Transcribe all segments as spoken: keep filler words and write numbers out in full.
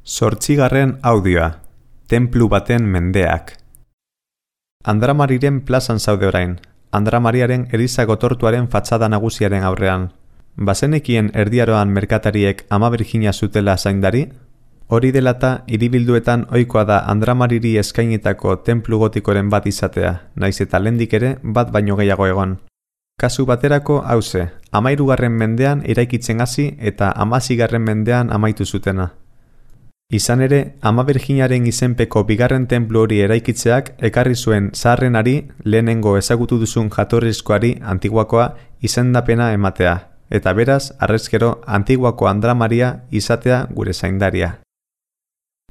Zortzigarren audioa, tenplu baten mendeak. Andramariren plazan zaude orain, Andramariaren eliza gotortuaren fatxada nagusiaren aurrean. Bazenekien erdiaroan merkatariek Ama Birjina zutela zaindari? Hori delata, hiribilduetan ohikoa da Andramariri eskainitako tenplu gotikoren bat izatea, naiz eta lehendik ere bat baino gehiago egon. Kasu baterako hauze, hamahirugarren mendean eraikitzen hasi eta hamazigarren mendean amaitu zutena. Izan ere, Ama Birjinaren izenpeko bigarren tenplu hori eraikitzeak ekarri zuen zaharrenari lehenengo ezagutu duzun jatorrizkoari Antiguakoa izendapena ematea, eta beraz, harrezkero Antiguako Andramaria izatea gure zaindaria.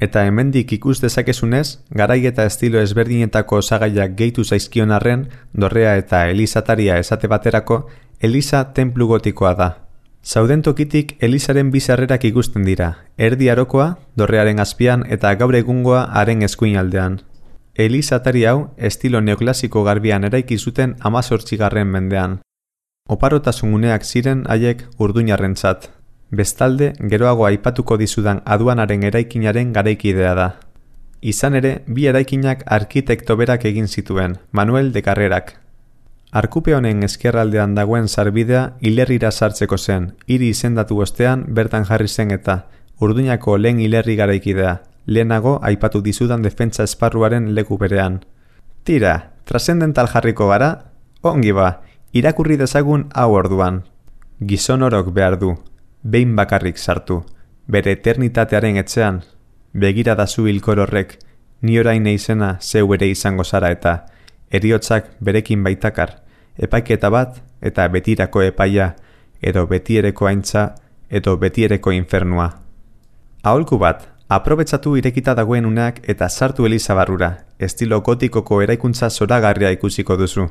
Eta hemendik ikus dezakezunez, garai eta estilo ezberdinetako osagaiak gehitu zaizkion arren, dorrea eta elizataria esate baterako, eliza tenplu gotikoa da. Zauden tokitik elizaren bi sarrerak ikusten dira, erdi arokoa, dorrearen azpian eta gaur egungoa haren eskuinaldean. Elizatari hau estilo neoklasiko garbian eraiki zuten hamazortzigarren mendean. Oparotasun uneak ziren haiek urduñarrentzat. Bestalde, geroago aipatuko dizudan aduanaren eraikinaren garaikidea da. Izan ere, bi eraikinak arkitekto berak egin zituen, Manuel de Carrerak. Arkupe honen ezkerraldean dagoen sarbidea hilerrira sartzeko zen, hiri izendatu ostean bertan jarri zen eta Urduñako lehen hilerri garaikidea, lehenago aipatu dizudan defentsa esparruaren leku berean. Tira, trascendental jarriko gara? Ongi ba, irakurri dezagun hau orduan. Gizon orok behar du, behin bakarrik sartu, bere eternitatearen etxean, begira dazu hilkor horrek, ni orain izena zeu ere izango zara eta heriotzak berekin baitakar, epaiketa bat eta betirako epaia, edo betiereko aintza, edo betiereko infernua. Aholku bat, aprobetsatu irekita dagoen uneak eta sartu eliza barrura, estilo gotikoko eraikuntza zoragarria ikusiko duzu.